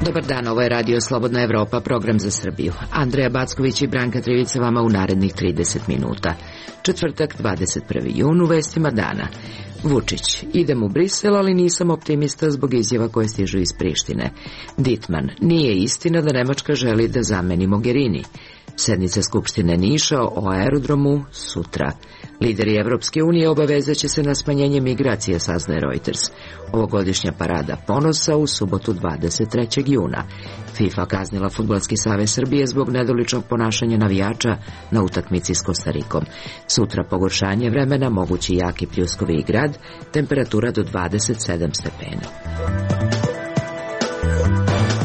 Dobar dan, ovo je Radio Slobodna Evropa, program za Srbiju. Andreja Backović i Branka Trivica vama u narednih 30 minuta. Četvrtak, 21. jun, u vestima dana. Vučić, idem u Brisel, ali nisam optimista zbog izjava koje stižu iz Prištine. Dittmann, nije istina da Nemačka želi da zameni Mogherini. Sednica Skupštine Niša o aerodromu sutra. Lideri Evropske unije obavezaće se na smanjenje migracija, saznaje Reuters. Ovogodišnja parada ponosa u subotu 23. juna. FIFA kaznila Fudbalski savez Srbije zbog nedoličnog ponašanja navijača na utakmici s Kostarikom. Sutra pogoršanje vremena, mogući jaki pljuskovi i grad, temperatura do 27 stepena.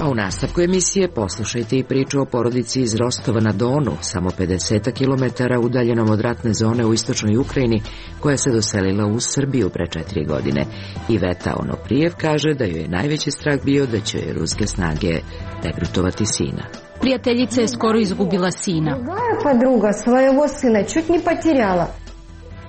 A u nastavku emisije poslušajte i priču o porodici iz Rostova na Donu, samo 50 km udaljenom od ratne zone u istočnoj Ukrajini, koja se doselila u Srbiju pre 4 godine. Iveta Onoprijev kaže da joj je najveći strah bio da će joj ruske snage regrutovati sina. Prijateljica je skoro izgubila sina. Podruga svojego sina čut ni poterjala.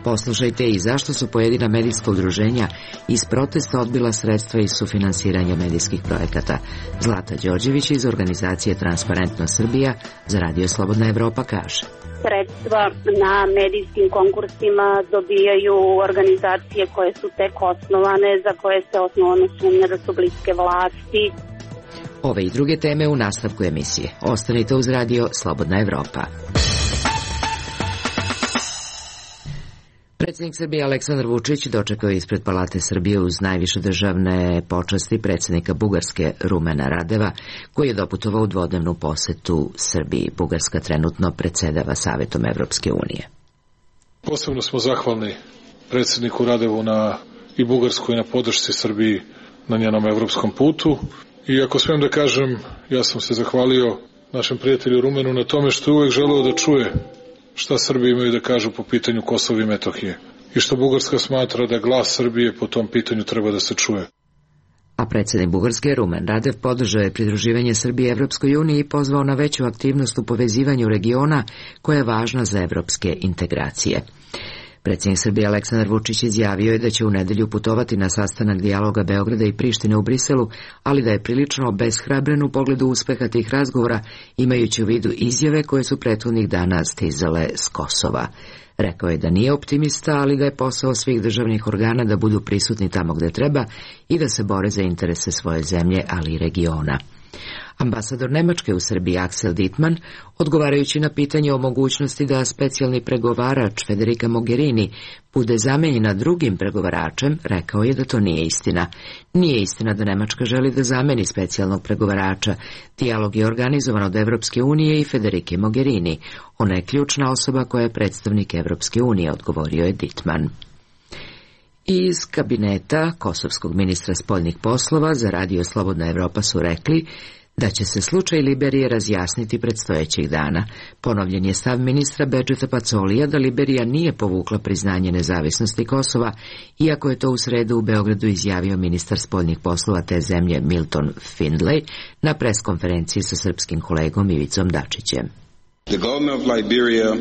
Poslušajte i zašto su pojedina medijska udruženja iz protesta odbila sredstva iz sufinansiranja medijskih projekata. Zlata Đorđević iz organizacije Transparentno Srbija za Radio Slobodna Evropa kaže. Sredstva na medijskim konkursima dobijaju organizacije koje su tek osnovane, za koje se osnovno sumnja da su bliske vlasti. Ove i druge teme u nastavku emisije. Ostanite uz Radio Slobodna Evropa. Predsjednik Srbije Aleksandar Vučić dočekao je ispred Palate Srbije uz najviše državne počasti predsjednika Bugarske Rumena Radeva, koji je doputovao u dvodnevnu posetu Srbiji. Bugarska trenutno predsjedava Savetom Evropske unije. Posebno smo zahvalni predsjedniku Radevu i Bugarskoj na podršci Srbiji na njenom evropskom putu. I ako smijem da kažem, ja sam se zahvalio našem prijatelju Rumenu na tome što je uvek želeo da čuje šta Srbi imaju da kažu po pitanju Kosova i Metohije i što Bugarska smatra da glas Srbije po tom pitanju treba da se čuje. A predsjednik Bugarske Rumen Radev podržao je pridruživanje Srbije Evropskoj uniji i pozvao na veću aktivnost u povezivanju regiona koja je važna za evropske integracije. Predsjednik Srbije Aleksandar Vučić izjavio je da će u nedelju putovati na sastanak dijaloga Beograda i Prištine u Briselu, ali da je prilično obeshrabren u pogledu uspeha tih razgovora, imajući u vidu izjave koje su prethodnih dana stizale s Kosova. Rekao je da nije optimista, ali da je posao svih državnih organa da budu prisutni tamo gde treba i da se bore za interese svoje zemlje, ali i regiona. Ambasador Nemačke u Srbiji Axel Dittmann, odgovarajući na pitanje o mogućnosti da specijalni pregovarač Federica Mogherini bude zamenjena drugim pregovaračem, rekao je da to nije istina. Nije istina da Nemačka želi da zameni specijalnog pregovarača. Dijalog je organizovan od Evropske unije i Federice Mogherini. Ona je ključna osoba koja je predstavnik Evropske unije, odgovorio je Dittmann. Iz kabineta kosovskog ministra spoljnih poslova za Radio Slobodna Evropa su rekli da će se slučaj Liberije razjasniti predstojećih dana. Ponovljen je stav ministra Bedžeta Pacolija da Liberija nije povukla priznanje nezavisnosti Kosova, iako je to u sredu u Beogradu izjavio ministar spoljnih poslova te zemlje Milton Findlay na preskonferenciji sa srpskim kolegom Ivicom Dačićem. The government of Liberia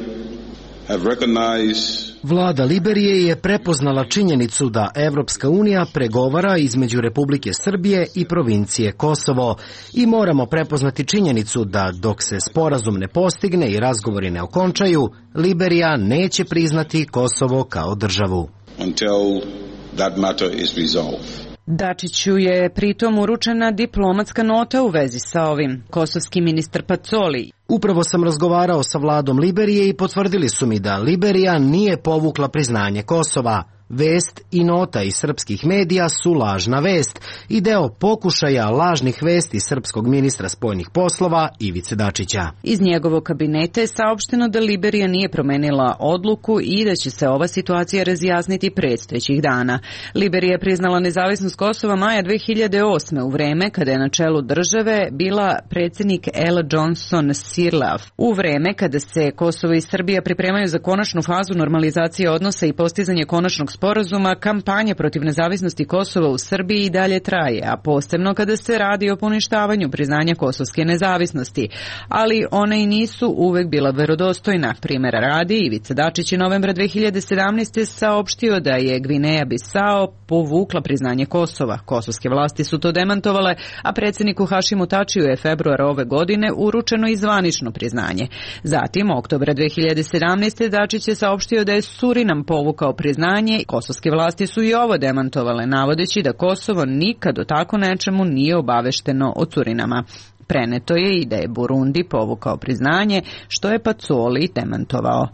have recognized Vlada Liberije je prepoznala činjenicu da Evropska unija pregovara između Republike Srbije i provincije Kosovo i moramo prepoznati činjenicu da dok se sporazum ne postigne i razgovori ne okončaju, Liberija neće priznati Kosovo kao državu. Until that matter is resolved. Dačiću je pritom uručena diplomatska nota u vezi sa ovim. Kosovski ministar Pacoli. Upravo sam razgovarao sa vladom Liberije i potvrdili su mi da Liberija nije povukla priznanje Kosova. Vest i nota iz srpskih medija su lažna vest i deo pokušaja lažnih vesti srpskog ministra spoljnih poslova Ivice Dačića. Iz njegovog kabineta je saopšteno da Liberija nije promenila odluku i da će se ova situacija razjasniti predstojećih dana. Liberija je priznala nezavisnost Kosova maja 2008. u vreme kada je na čelu države bila predsjednik Ella Johnson Sirleaf. U vreme kada se Kosovo i Srbija pripremaju za konačnu fazu normalizacije odnosa i postizanje konačnog sporazuma, kampanja protiv nezavisnosti Kosova u Srbiji i dalje traje, a posebno kada se radi o poništavanju priznanja kosovske nezavisnosti, ali one i nisu uvek bila verodostojna. Primera radi, Ivica Dačić je novembra 2017. saopštio da je Gvineja Bisao povukla priznanje Kosova. Kosovske vlasti su to demantovale, a predsjedniku Hašimu Tačiju je februara ove godine uručeno i zvanično priznanje. Zatim, oktobra 2017. Dačić je saopštio da je Surinam povukao priznanje. Kosovske vlasti su i ovo demantovale, navodeći da Kosovo nikad o tako nečemu nije obavešteno od Surinama. Preneto je i da je Burundi povukao priznanje, što je Pacoli demantovao.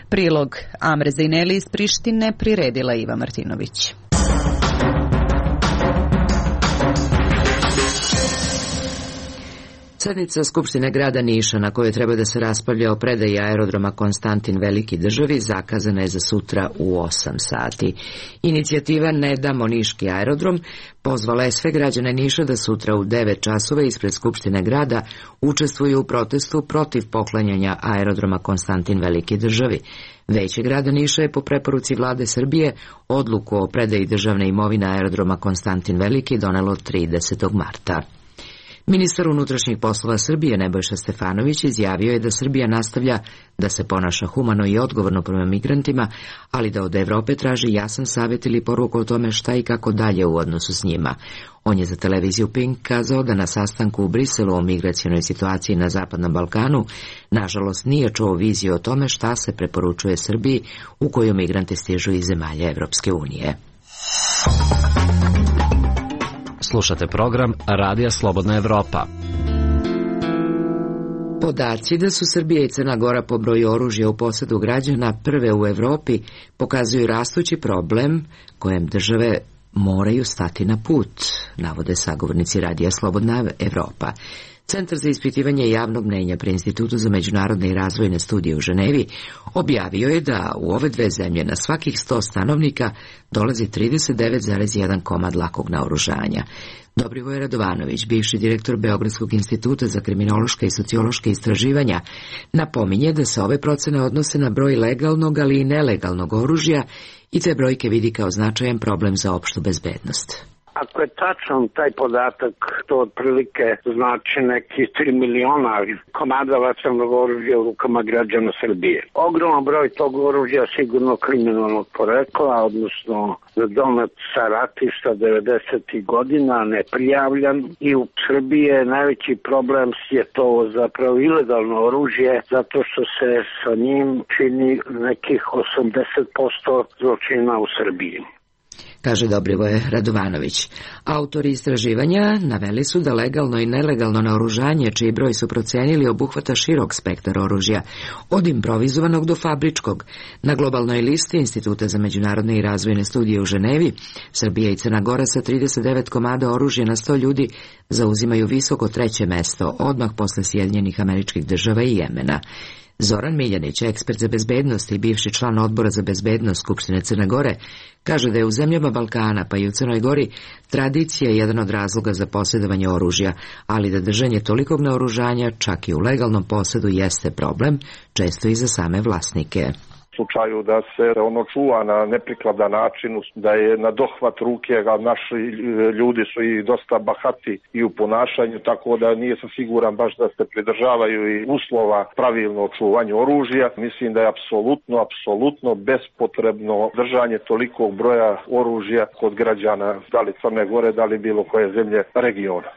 Prilog Amre Zejneli iz Prištine priredila Iva Martinović. Sednica Skupštine grada Niša, na kojoj treba da se raspravlja o predaji aerodroma Konstantin Veliki državi, zakazana je za sutra u 8 sati. Inicijativa Ne damo Niški aerodrom pozvala je sve građane Niša da sutra u 9 časova ispred Skupštine grada učestvuju u protestu protiv poklanjanja aerodroma Konstantin Veliki državi. Veće grada Niša je po preporuci vlade Srbije odluku o predaji državne imovine aerodroma Konstantin Veliki donelo 30. marta. Ministar unutrašnjih poslova Srbije Nebojša Stefanović izjavio je da Srbija nastavlja da se ponaša humano i odgovorno prema migrantima, ali da od Evrope traži jasan savjet ili poruku o tome šta i kako dalje u odnosu s njima. On je za televiziju Pink kazao da na sastanku u Briselu o migracionoj situaciji na Zapadnom Balkanu nažalost nije čuo viziju o tome šta se preporučuje Srbiji u koju migranti stižu iz zemalja Evropske unije. Slušate program Radija Slobodna Evropa. Podaci da su Srbija i Crna Gora po broju oružja u posedu građana prve u Evropi pokazuju rastući problem kojem države moraju stati na put, navode sagovornici Radija Slobodna Evropa. Centar za ispitivanje javnog mnenja pri Institutu za međunarodne i razvojne studije u Ženevi objavio je da u ove dve zemlje na svakih 100 stanovnika dolazi 39,1 komad lakog naoružanja. Dobrivoje Radovanović, bivši direktor Beogradskog instituta za kriminološka i sociološka istraživanja, napominje da se ove procene odnose na broj legalnog, ali i nelegalnog oružja i te brojke vidi kao značajan problem za opštu bezbednost. Ako je tačan taj podatak, to otprilike znači neki 3 miliona komada vatrenog oružja u rukama građana Srbije. Ogroman broj tog oružja sigurno kriminalnog porekla, odnosno donet sa ratišta 90. godina, neprijavljan, i u Srbiji je najveći problem je to zapravo ilegalno oružje, zato što se sa njim čini nekih 80% zločina u Srbiji, kaže Dobrivoje Radovanović. Autori istraživanja naveli su da legalno i nelegalno naoružanje, čiji broj su procenili, obuhvata širok spektar oružja, od improvizovanog do fabričkog. Na globalnoj listi Instituta za međunarodne i razvojne studije u Ženevi, Srbija i Crna Gora sa 39 komada oružja na 100 ljudi zauzimaju visoko 3. mesto, odmah posle Sjedinjenih Američkih Država i Jemena. Zoran Miljanić, ekspert za bezbednost i bivši član odbora za bezbednost Skupštine Crne Gore, kaže da je u zemljama Balkana, pa i u Crnoj Gori, tradicija jedan od razloga za posjedovanje oružja, ali da držanje tolikog naoružanja, čak i u legalnom posedu, jeste problem, često i za same vlasnike. U slučaju da se ono čuva na neprikladan način, da je na dohvat ruke, a naši ljudi su i dosta bahati i u ponašanju, tako da nije sam siguran baš da se pridržavaju i uslova pravilno čuvanju oružja. Mislim da je apsolutno bespotrebno držanje tolikog broja oružja kod građana, da li Crne Gore, da li bilo koje zemlje regiona,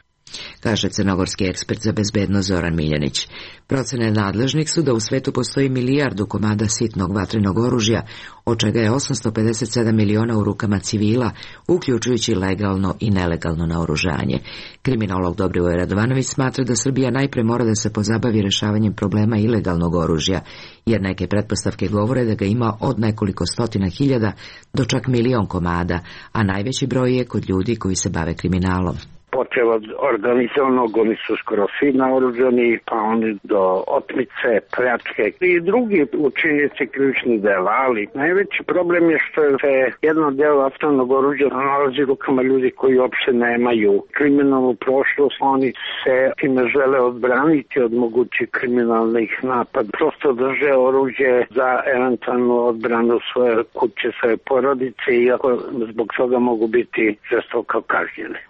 kaže crnogorski ekspert za bezbednost Zoran Miljanić. Procene nadležnih su da u svetu postoji 1 milijardu komada sitnog vatrenog oružja, od čega je 857 miliona u rukama civila, uključujući legalno i nelegalno naoružanje. Kriminolog Dobrivoje Radovanović smatra da Srbija najpre mora da se pozabavi rešavanjem problema ilegalnog oružja, jer neke pretpostavke govore da ga ima od nekoliko stotina hiljada do čak 1 milion komada, a najveći broj je kod ljudi koji se bave kriminalom. počeo od organizovanog, oni su skoro svi naoružani, pa oni do otmice, pljačke i drugi učinjenici krivičnih dela, ali najveći problem je što se jedno delo vatrenog oružja nalazi u rukama ljudi koji uopšte nemaju kriminalnu prošlost, oni se time žele odbraniti od mogućih kriminalnih napada, prosto drže oružje za eventualnu odbranu svoje kuće, svoje porodice, iako zbog toga mogu biti žestoko kažnjeni.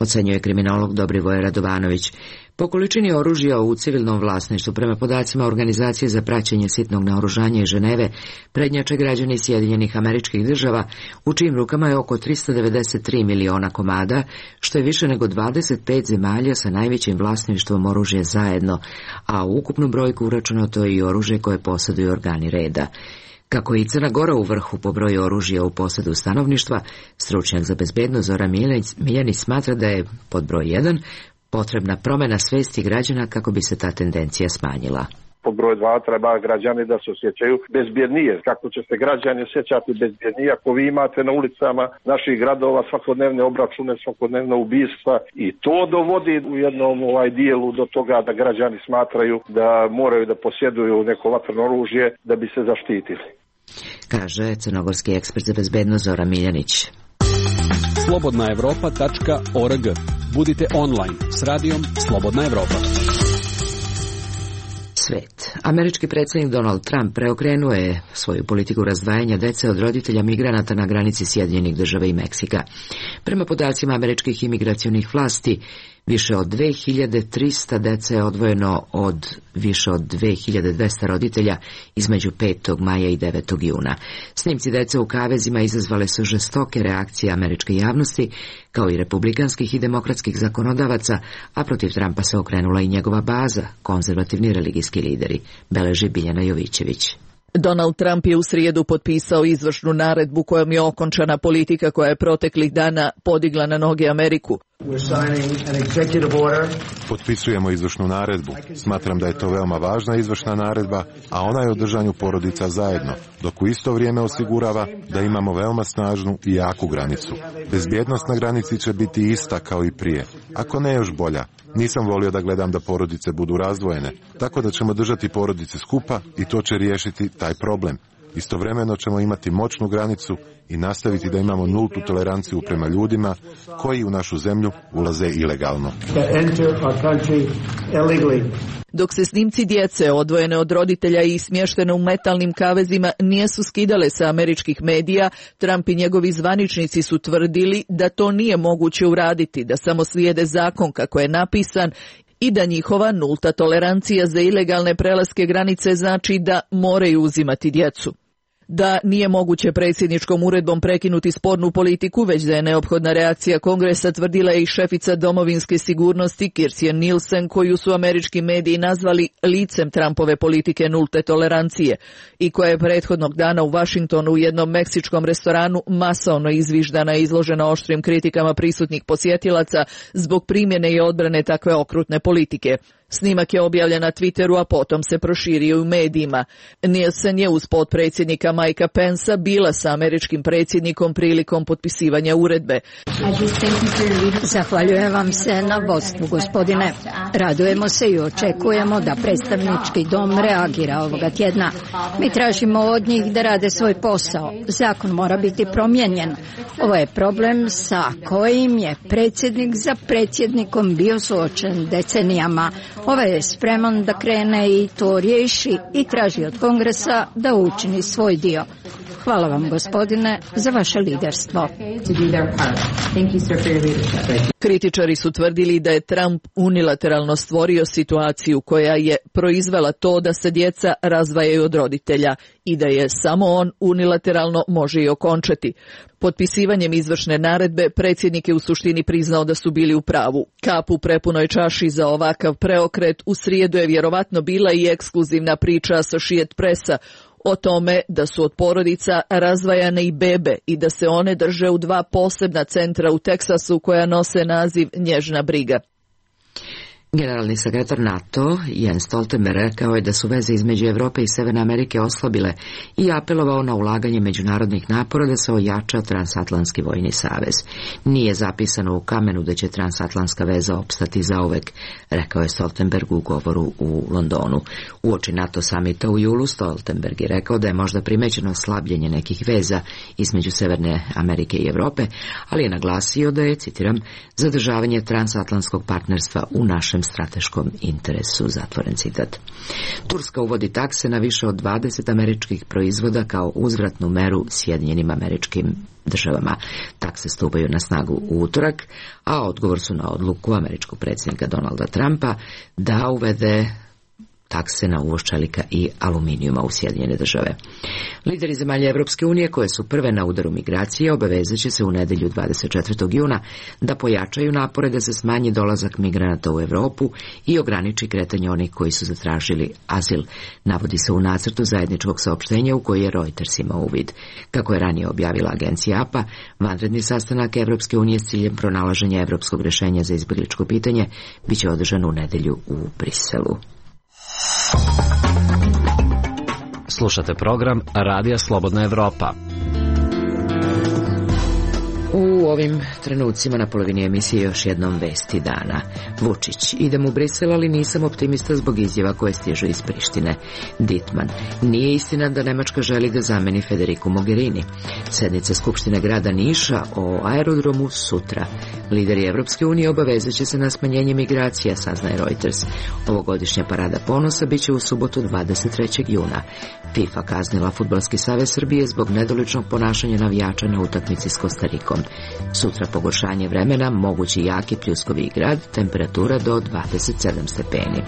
Ocenjuje kriminolog Dobrivoje Radovanović. Po količini oružja u civilnom vlasništvu, prema podacima Organizacije za praćenje sitnog naoružanja iz Ženeve, prednjače građani Sjedinjenih Američkih Država, u čijim rukama je oko 393 miliona komada, što je više nego 25 zemalja sa najvećim vlasništvom oružja zajedno, a u ukupnu brojku uračunato je i oružje koje posjeduju organi reda. Kako je i Crna Gora u vrhu po broju oružja u posjedu stanovništva, stručnjak za bezbednost Zoran Miljanić smatra da je, pod broj 1, potrebna promjena svesti građana kako bi se ta tendencija smanjila. Pod broj 2 treba građani da se osjećaju bezbjednije. Kako će se građani osjećati bezbjednije ako vi imate na ulicama naših gradova svakodnevne obračune, svakodnevne ubistva i to dovodi u jednom dijelu do toga da građani smatraju da moraju da posjeduju neko vatreno oružje da bi se zaštitili. Kaže crnogorski ekspert za bezbednost Zoran Miljanić. Slobodnaevropa.org. Budite online s radijom Slobodna Evropa. Svet. Američki predsjednik Donald Trump preokrenuo je svoju politiku razdvajanja dece od roditelja migranata na granici Sjedinjenih Država i Meksika. Prema podacima američkih imigracionih vlasti, više od 2300 dece je odvojeno od više od 2200 roditelja između 5. maja i 9. juna. Snimci dece u kavezima izazvale su žestoke reakcije američke javnosti, kao i republikanskih i demokratskih zakonodavaca, a protiv Trumpa se okrenula i njegova baza, konzervativni religijski lideri, beleži Biljana Jovićević. Donald Trump je u srijedu potpisao izvršnu naredbu kojom je okončana politika koja je proteklih dana podigla na noge Ameriku. Potpisujemo izvršnu naredbu. Smatram da je to veoma važna izvršna naredba, a ona je o držanju porodica zajedno, dok u isto vrijeme osigurava da imamo veoma snažnu i jaku granicu. Bezbjednost na granici će biti ista kao i prije, ako ne još bolja. Nisam volio da gledam da porodice budu razdvojene, tako da ćemo držati porodice skupa i to će riješiti taj problem. Istovremeno ćemo imati moćnu granicu i nastaviti da imamo nultu toleranciju prema ljudima koji u našu zemlju ulaze ilegalno. Dok se snimci djece odvojene od roditelja i smještene u metalnim kavezima nisu skidale sa američkih medija, Trump i njegovi zvaničnici su tvrdili da to nije moguće uraditi, da samo slijede zakon kako je napisan i da njihova nulta tolerancija za ilegalne prelaske granice znači da moraju uzimati djecu. Da nije moguće predsjedničkom uredbom prekinuti spornu politiku, već da je neophodna reakcija Kongresa, tvrdila je i šefica domovinske sigurnosti Kirstjen Nielsen, koju su američki mediji nazvali licem Trumpove politike nulte tolerancije i koja je prethodnog dana u Washingtonu u jednom meksičkom restoranu masovno izviždana i izložena oštrim kritikama prisutnih posjetilaca zbog primjene i odbrane takve okrutne politike. Snimak je objavljen na Twitteru, a potom se proširio u medijima. Nielsen je uz potpredsjednika Mikea Pensa bila sa američkim predsjednikom prilikom potpisivanja uredbe. Zahvaljujem vam se na vodstvu, gospodine. Radujemo se i očekujemo da predstavnički dom reagira ovoga tjedna. Mi tražimo od njih da rade svoj posao. Zakon mora biti promijenjen. Ovo je problem sa kojim je predsjednik za predsjednikom bio suočen decenijama. Ovaj je spreman da krene i to riješi i traži od Kongresa da učini svoj dio. Hvala vam, gospodine, za vaše liderstvo. Kritičari su tvrdili da je Trump unilateralno stvorio situaciju koja je proizvela to da se djeca razdvajaju od roditelja i da je samo on unilateralno može i okončati. Potpisivanjem izvršne naredbe predsjednik je u suštini priznao da su bili u pravu. Kap u prepunoj čaši za ovakav preokret u srijedu je vjerovatno bila i ekskluzivna priča Associated Pressa o tome da su od porodica razdvajane i bebe i da se one drže u 2 posebna centra u Teksasu koja nose naziv Nježna briga. Generalni sekretar NATO Jens Stoltenberg rekao je da su veze između Evrope i Severne Amerike oslabile i apelovao na ulaganje međunarodnih napora da se ojača transatlantski vojni savez. Nije zapisano u kamenu da će transatlantska veza opstati zauvek, rekao je Stoltenberg u govoru u Londonu. Uoči NATO samita u julu Stoltenberg je rekao da je možda primećeno slabljenje nekih veza između Severne Amerike i Evrope, ali je naglasio da je, citiram, zadržavanje transatlantskog partnerstva u našem strateškom interesu, zatvoren citat. Turska uvodi takse na više od 20 američkih proizvoda kao uzvratnu meru Sjedinjenim Američkim Državama. Takse stupaju na snagu u utorak, a odgovor su na odluku američkog predsjednika Donalda Trumpa da uvede takse na uvoz čelika i aluminijuma u Sjedinjene Države. Lideri zemalja Evropske unije koje su prve na udaru migracije obavezat će se u nedelju 24. juna da pojačaju napore da se smanji dolazak migranata u Evropu i ograniči kretanje onih koji su zatražili azil, navodi se u nacrtu zajedničkog saopštenja u koji je Reuters imao uvid. Kako je ranije objavila agencija APA, vanredni sastanak Evropske unije s ciljem pronalaženja evropskog rješenja za izbjegličko pitanje biće održan u nedelju u Briselu. Slušate program Radija Slobodna Evropa. U ovim trenucima na polovini emisije još jednom vesti dana. Vučić, idem u Brisel, ali nisam optimista zbog izjava koje stižu iz Prištine. Dittmann, nije istina da Nemačka želi da zameni Federiku Mogherini. Sednica Skupštine grada Niša o aerodromu sutra. Lideri Evropske unije obavezat će se na smanjenje migracija, saznaje Reuters. Ovogodišnja parada ponosa biće u subotu 23. juna. FIFA kaznila Fudbalski savez Srbije zbog nedoličnog ponašanja navijača na utakmici s Kostarikom. Sutra pogoršanje vremena, mogući jaki pljuskovi grad, temperatura do 27 stepeni.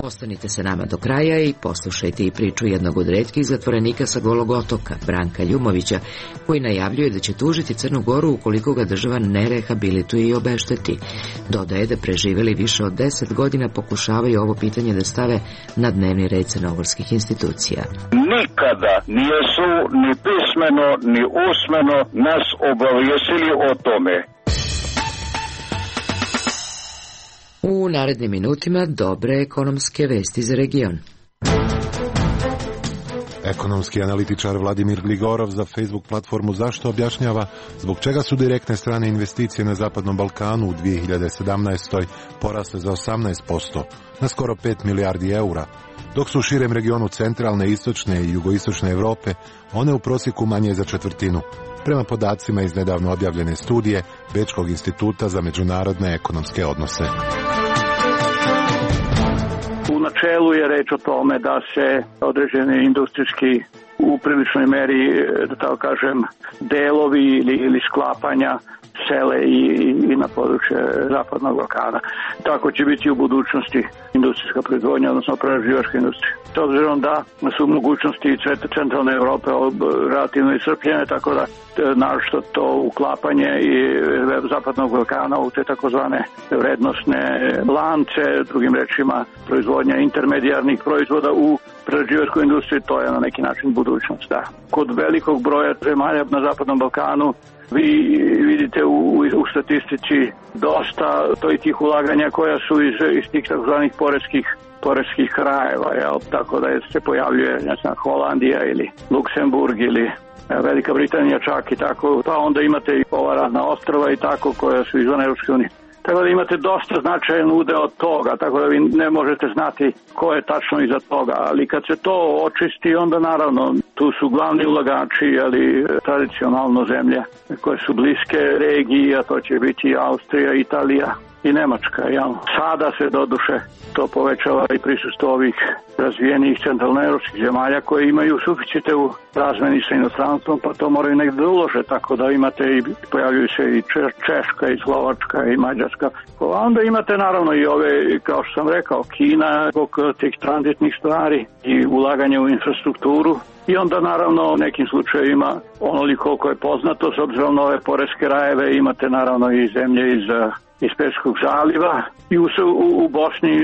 Ostanite se nama do kraja i poslušajte i priču jednog od retkih zatvorenika sa Golog otoka, Branka Ljumovića, koji najavljuje da će tužiti Crnu Goru ukoliko ga država ne rehabilituje i obešteti. Dodaje da preživeli više od 10 godina pokušavaju ovo pitanje da stave na dnevni red crnogorskih institucija. Nikada nisu ni pismeno ni usmeno nas obavijestili o tome. U narednim minutima dobre ekonomske vesti za region. Ekonomski analitičar Vladimir Gligorov za Facebook platformu Zašto objašnjava zbog čega su direktne strane investicije na Zapadnom Balkanu u 2017. porasle za 18%, na skoro 5 milijardi eura, dok su u širem regionu centralne, istočne i jugoistočne Evrope one u prosjeku manje za četvrtinu, prema podacima iz nedavno objavljene studije Bečkog instituta za međunarodne ekonomske odnose. U načelu je reč o tome da se određeni industrijski u priličnoj meri, da tako kažem, delovi ili sklapanja sele i na područje Zapadnog Balkana. Tako će biti u budućnosti industrijska proizvodnja, odnosno prerađivačka industrija. S obzirom da su mogućnosti centralne Evrope relativno iscrpljene, tako da naročito to uklapanje i Zapadnog Balkana u te takozvane vrednosne lance, drugim rečima proizvodnja intermedijarnih proizvoda u prerađivačkoj industriji, to je na neki način budućnost. Da. Kod velikog broja zemalja na Zapadnom Balkanu vi vidite u statistici dosta tih ulaganja koja su iz tih takozvanih poreskih krajeva, jel? Tako da se pojavljuje Holandija ili Luksemburg ili Velika Britanija čak i tako, pa onda imate i ova razna ostrva i tako koja su izvan Europske unije. Tako da imate dosta značajan udeo od toga, tako da vi ne možete znati ko je tačno iza toga, ali kad se to očisti, onda naravno tu su glavni ulagači, ali tradicionalno zemlje koje su bliske regiji, a to će biti Austrija, Italija i Nemačka. Jel? Sada se doduše to povećava i prisustvo ovih razvijenih centralnoevropskih zemalja koje imaju suficite u razmeni sa inostranstvom, pa to moraju negdje da ulože, tako da imate i pojavljuju se i Češka i Slovačka i Mađarska. A onda imate naravno i ove, kao što sam rekao, Kina zbog tih tranzitnih stvari i ulaganja u infrastrukturu. I onda naravno u nekim slučajevima onoliko koliko je poznato, s obzirom na ove poreske rajeve, imate naravno i zemlje iz Perskog zaliva i u Bosni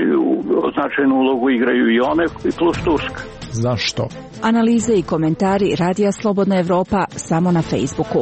značajnu ulogu igraju i one plus Turska. Zašto? Analize i komentari Radija Slobodna Evropa samo na Facebooku.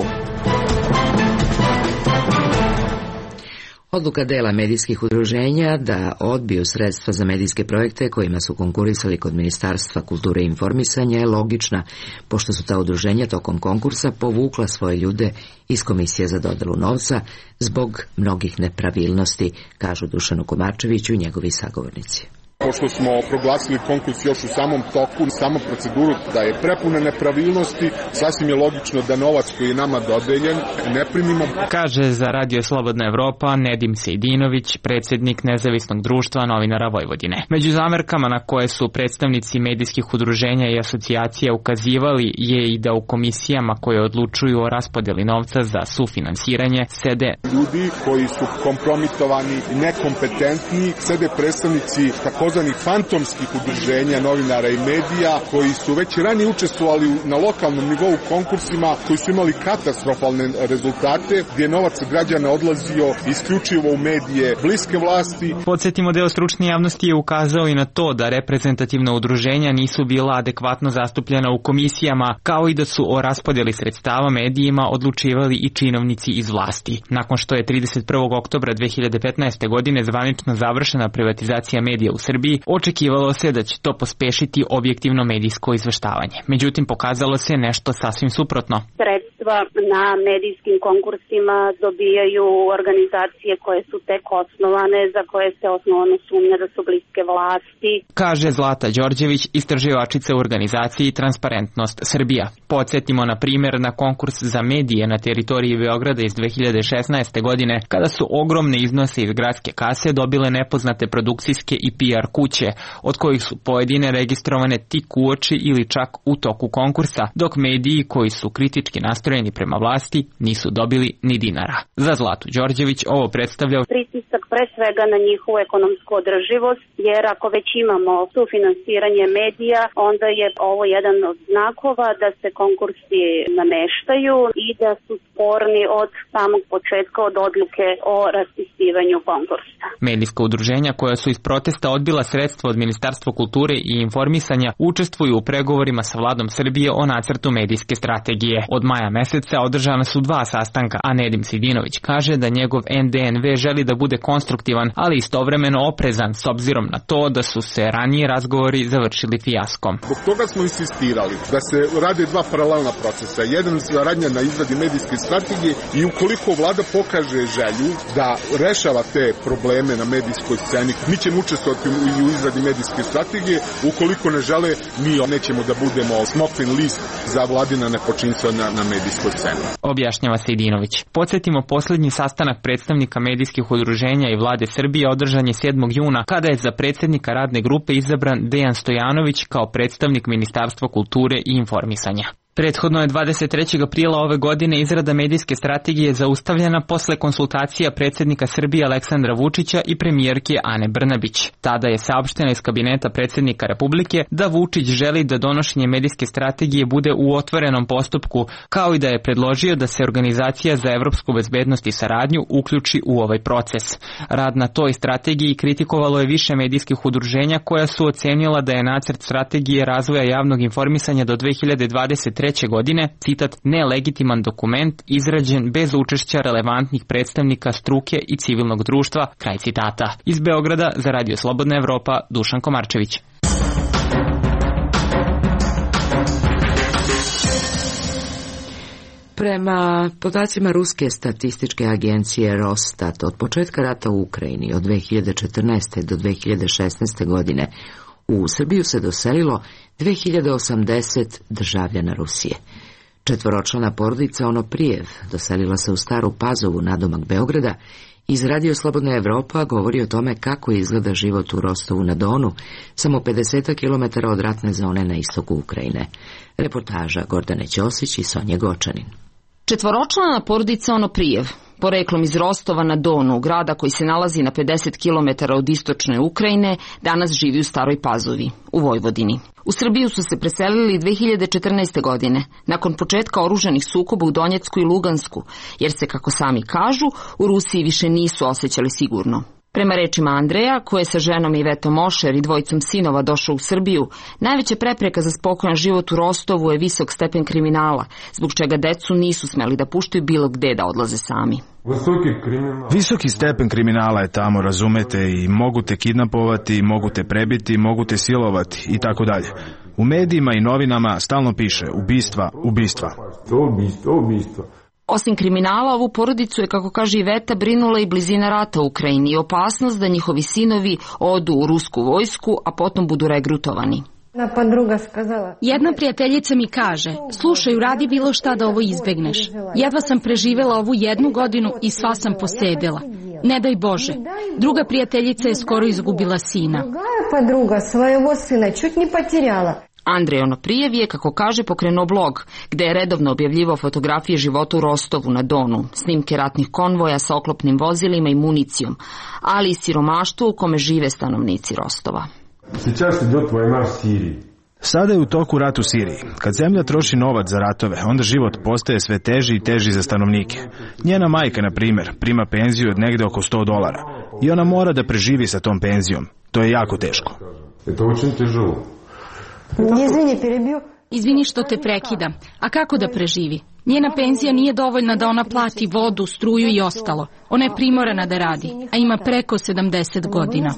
Odluka dela medijskih udruženja da odbiju sredstva za medijske projekte kojima su konkurisali kod Ministarstva kulture i informisanja je logična, pošto su ta udruženja tokom konkursa povukla svoje ljude iz Komisije za dodelu novca zbog mnogih nepravilnosti, kažu Dušanu Komarčeviću i njegovi sagovornici. Pošto smo proglasili konkurs još u samom toku, samu proceduru da je prepuna nepravilnosti, sasvim je logično da novac koji je nama dodeljen ne primimo. Kaže za Radio Slobodna Evropa Nedim Sejdinović, predsjednik Nezavisnog društva novinara Vojvodine. Među zamerkama na koje su predstavnici medijskih udruženja i asocijacija ukazivali je i da u komisijama koje odlučuju o raspodeli novca za sufinansiranje sede ljudi koji su kompromitovani, nekompetentni, sede predstavnici takozvanih fantomskih udruženja novinara i medija koji su već ranije učestvovali na lokalnom nivou konkursima koji su imali katastrofalne rezultate gdje je novac građana odlazio isključivo u medije bliske vlasti. Podsjetimo, deo stručne javnosti je ukazao i na to da reprezentativna udruženja nisu bila adekvatno zastupljena u komisijama, kao i da su o raspodjeli sredstava medijima odlučivali i činovnici iz vlasti. Nakon što je 31. oktobra 2015. godine zvanično završena privatizacija medija u Srbiji, očekivalo se da će to pospešiti objektivno medijsko izveštavanje. Međutim, pokazalo se nešto sasvim suprotno. Sredstva na medijskim konkursima dobijaju organizacije koje su tek osnovane, za koje se osnovno sumnja da su bliske vlasti. Kaže Zlata Đorđević, istraživačica u organizaciji Transparentnost Srbija. Podsjetimo na primjer na konkurs za medije na teritoriji Beograda iz 2016. godine, kada su ogromne iznose iz gradske kase dobile nepoznate produkcijske i PR kuće, od kojih su pojedine registrovane tik uoči ili čak u toku konkursa, dok mediji koji su kritički nastrojeni prema vlasti nisu dobili ni dinara. Za Zlatu Đorđević ovo predstavlja pritisak pre svega na njihovu ekonomsku održivost, jer ako već imamo sufinansiranje medija, onda je ovo jedan od znakova da se konkursi nameštaju i da su sporni od samog početka, od odluke o raspisivanju konkursa. Medijska udruženja koja su iz protesta odbila sredstva od Ministarstva kulture i informisanja učestvuju u pregovorima sa vladom Srbije o nacrtu medijske strategije. Od maja meseca održana su 2 sastanka, a Nedim Sejdinović kaže da njegov NDNV želi da bude konstruktivan, ali istovremeno oprezan s obzirom na to da su se ranije razgovori završili fijaskom. Zbog toga smo insistirali da se rade 2 paralelna procesa. Jedan je radnja na izradi medijske strategije i ukoliko vlada pokaže želju da rešava te probleme na medijskoj sceni, mi ćemo učestvovati u izradi medijske strategije. Ukoliko ne žele, mi nećemo da budemo smokvin list za vladina nepočinstva na medijskoj sceni. Objašnjava Sejdinović. Podsjetimo, posljednji sastanak predstavnika medijskih udruženja i vlade Srbije održan je 7. juna, kada je za predsjednika radne grupe izabran Dejan Stojanović kao predstavnik Ministarstva kulture i informisanja. Prethodno je 23. aprila ove godine izrada medijske strategije zaustavljena posle konsultacija predsjednika Srbije Aleksandra Vučića i premijerke Ane Brnabić. Tada je saopšteno iz kabineta predsjednika Republike da Vučić želi da donošenje medijske strategije bude u otvorenom postupku, kao i da je predložio da se Organizacija za evropsku bezbednost i saradnju uključi u ovaj proces. Rad na toj strategiji kritikovalo je više medijskih udruženja koja su ocenila da je nacrt strategije razvoja javnog informisanja do 2023. godine, citat, nelegitiman dokument izrađen bez učešća relevantnih predstavnika struke i civilnog društva, kraj citata. Iz Beograda za Radio Slobodna Evropa, Dušan Komarčević. Prema podacima ruske statističke agencije Rostat, od početka rata u Ukrajini od 2014. do 2016. godine u Srbiju se doselilo 2080 državljana Rusije. 4-člana porodica Onoprijev doselila se u Staru Pazovu nadomak Beograda. Iz Radio Slobodna Evropa govori o tome kako izgleda život u Rostovu na Donu, samo 50 km od ratne zone na istoku Ukrajine. Reportaža Gordane Ćosić i Sonje Gočanin. 4-člana porodica Onoprijev, poreklom iz Rostova na Donu, grada koji se nalazi na 50 km od istočne Ukrajine, danas živi u Staroj Pazovi, u Vojvodini. U Srbiju su se preselili 2014. godine, nakon početka oružanih sukoba u Donjecku i Lugansku, jer se, kako sami kažu, u Rusiji više nisu osjećali sigurno. Prema rečima Andreja, koji je sa ženom Ivetom Ošer i dvojicom sinova došao u Srbiju, najveća prepreka za spokojan život u Rostovu je visok stepen kriminala, zbog čega decu nisu smeli da puštaju bilo gde da odlaze sami. Visoki stepen kriminala je tamo, razumete, i mogu te kidnapovati, mogu te prebiti, mogu te silovati i tako dalje. U medijima i novinama stalno piše ubistva, ubistva. Osim kriminala, ovu porodicu je, kako kaže Iveta, brinula i blizina rata u Ukrajini i opasnost da njihovi sinovi odu u rusku vojsku, a potom budu regrutovani. Jedna prijateljica mi kaže, slušaj, uradi bilo šta da ovo izbegneš. Jedva sam preživela ovu 1 godinu i sva sam posedela. Ne daj Bože. Druga prijateljica je skoro izgubila sina. Andrej Onoprijev je, kako kaže, pokrenuo blog, gde je redovno objavljivao fotografije života u Rostovu na Donu, snimke ratnih konvoja sa oklopnim vozilima i municijom, ali i siromaštvo u kome žive stanovnici Rostova. Sada je u toku rat u Siriji. Kad zemlja troši novac za ratove, onda život postaje sve teži i teži za stanovnike. Njena majka, na primjer, prima penziju od negde oko $100 i ona mora da preživi sa tom penzijom. To je jako teško. Izvini što te prekidam. A kako da preživi? Njena penzija nije dovoljna da ona plati vodu, struju i ostalo. Ona je primorana da radi, a ima preko 70 godina.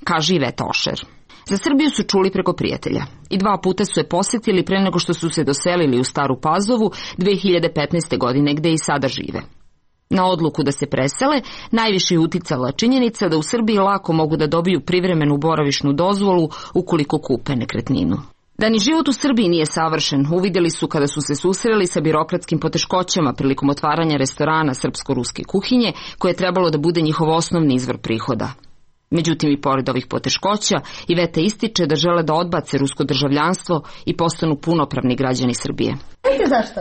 Kaže Iveta Ošer. Za Srbiju su čuli preko prijatelja i 2 puta su je posjetili pre nego što su se doselili u Staru Pazovu 2015. godine, gde i sada žive. Na odluku da se presele najviše je uticala činjenica da u Srbiji lako mogu da dobiju privremenu boravišnu dozvolu ukoliko kupe nekretninu. Da ni život u Srbiji nije savršen, uvidjeli su kada su se susreli sa birokratskim poteškoćama prilikom otvaranja restorana srpsko-ruske kuhinje, koje je trebalo da bude njihov osnovni izvor prihoda. Međutim, i pored ovih poteškoća, Iveta ističe da žele da odbace rusko državljanstvo i postanu punopravni građani Srbije. Zašto?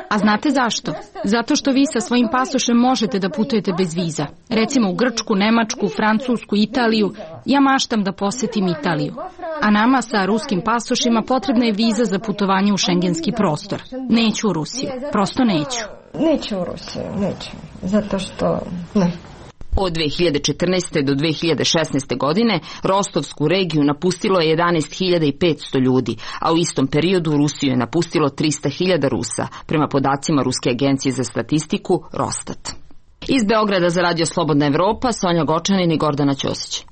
A znate zašto? Zato što vi sa svojim pasošem možete da putujete bez viza. Recimo u Grčku, Nemačku, Francusku, Italiju. Ja maštam da posetim Italiju. A nama sa ruskim pasošima potrebna je viza za putovanje u šengenski prostor. Neću u Rusiju. Prosto neću. Neću u Rusiju, neću. Zato što... ne. Od 2014. do 2016. godine Rostovsku regiju napustilo je 11.500 ljudi, a u istom periodu Rusiju je napustilo 300.000 Rusa, prema podacima Ruske agencije za statistiku Rostat. Iz Beograda za Radio Slobodna Evropa, Sonja Gočanin i Gordana Ćosić.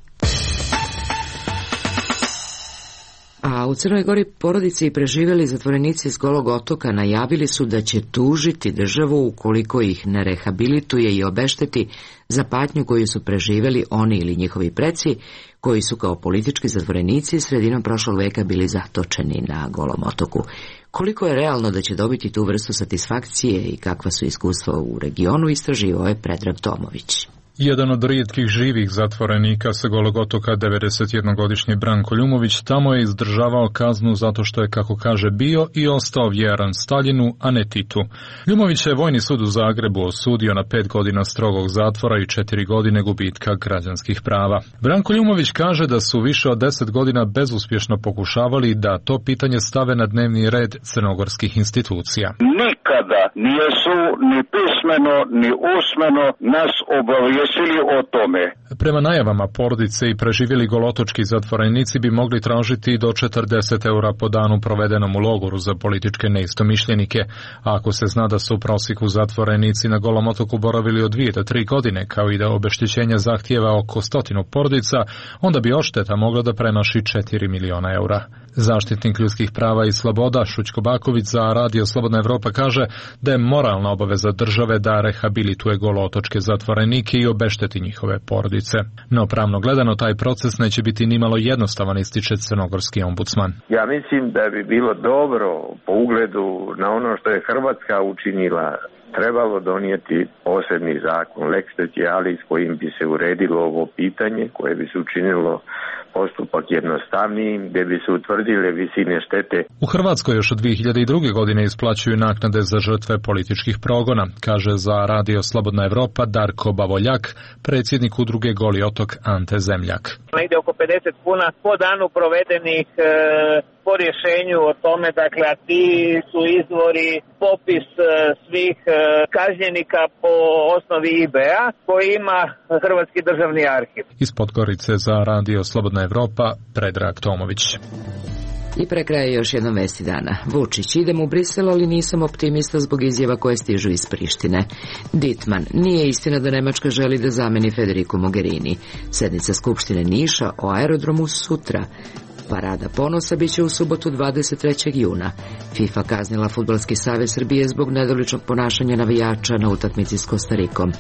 A u Crnoj Gori porodice i preživjeli zatvorenici iz Golog otoka najavili su da će tužiti državu ukoliko ih ne rehabilituje i obešteti za patnju koju su preživjeli oni ili njihovi preci, koji su kao politički zatvorenici sredinom prošlog veka bili zatočeni na Golom otoku. Koliko je realno da će dobiti tu vrstu satisfakcije i kakva su iskustva u regionu, istraživao je Predrag Tomović. Jedan od rijetkih živih zatvorenika sa Golog otoka, 91-godišnji Branko Ljumović, tamo je izdržavao kaznu zato što je, kako kaže, bio i ostao vjeran Staljinu, a ne Titu. Ljumović je Vojni sud u Zagrebu osudio na 5 godina strogog zatvora i 4 godine gubitka građanskih prava. Branko Ljumović kaže da su više od 10 godina bezuspješno pokušavali da to pitanje stave na dnevni red crnogorskih institucija. Nikada nijesu ni pismeno ni usmeno nas obavijestili o tome. Prema najavama porodice i preživjeli golotočki zatvorenici bi mogli tražiti do 40 eura po danu provedenom u logoru za političke neistomišljenike, a ako se zna da su u prosjeku zatvorenici na Golom otoku boravili od 2 do 3 godine, kao i da obeštećenje zahtijeva oko 100 porodica, onda bi odšteta mogla da premaši 4 miliona eura. Zaštitnik ljudskih prava i sloboda Šućko Baković za Radio Slobodna Evropa kaže da je moralna obaveza države da rehabilituje golotočke zatvorenike i obešteti njihove porodice. No pravno gledano taj proces neće biti nimalo jednostavan, ističe crnogorski ombudsman. Ja mislim da bi bilo dobro po ugledu na ono što je Hrvatska učinila, trebalo donijeti posebni zakon, lex specialis, kojim bi se uredilo ovo pitanje, koje bi se učinilo postupak jednostavnijim, gdje bi se utvrdile visine štete. U Hrvatskoj još od 2002. godine isplaćuju naknade za žrtve političkih progona, kaže za Radio Slobodna Evropa Darko Bavoljak, predsjednik udruge Goli otok Ante Zemljak. Negdje oko 50 kuna po danu provedenih po po rješenju o tome, dakle, a ti su izvori popis svih kažnjenika po osnovi IB-a koji ima Hrvatski državni arhiv. Iz Podgorice za Radio Slobodna Evropa, Predrag Tomović. I pre kraja još jedna vesti dana. Vučić, idem u Brisel, ali nisam optimista zbog izjava koje stižu iz Prištine. Dittmann, nije istina da Nemačka želi da zameni Federico Mogherini. Sednica Skupštine Niša o aerodromu sutra. Parada ponosa biće u subotu 23. juna. FIFA kaznila Fudbalski savez Srbije zbog nedoličnog ponašanja navijača na utakmici s Kostarikom.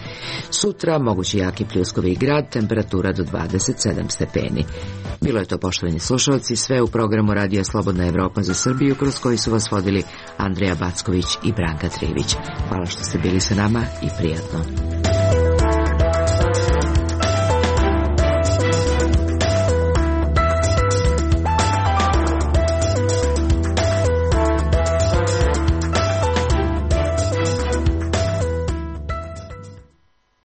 Sutra mogući jaki pljuskovi grad, temperatura do 27 stepeni. Bilo je to, poštovani slušalci, sve u programu Radija Slobodna Evropa za Srbiju, kroz koji su vas vodili Andreja Backović i Branka Trivić. Hvala što ste bili sa nama i prijatno.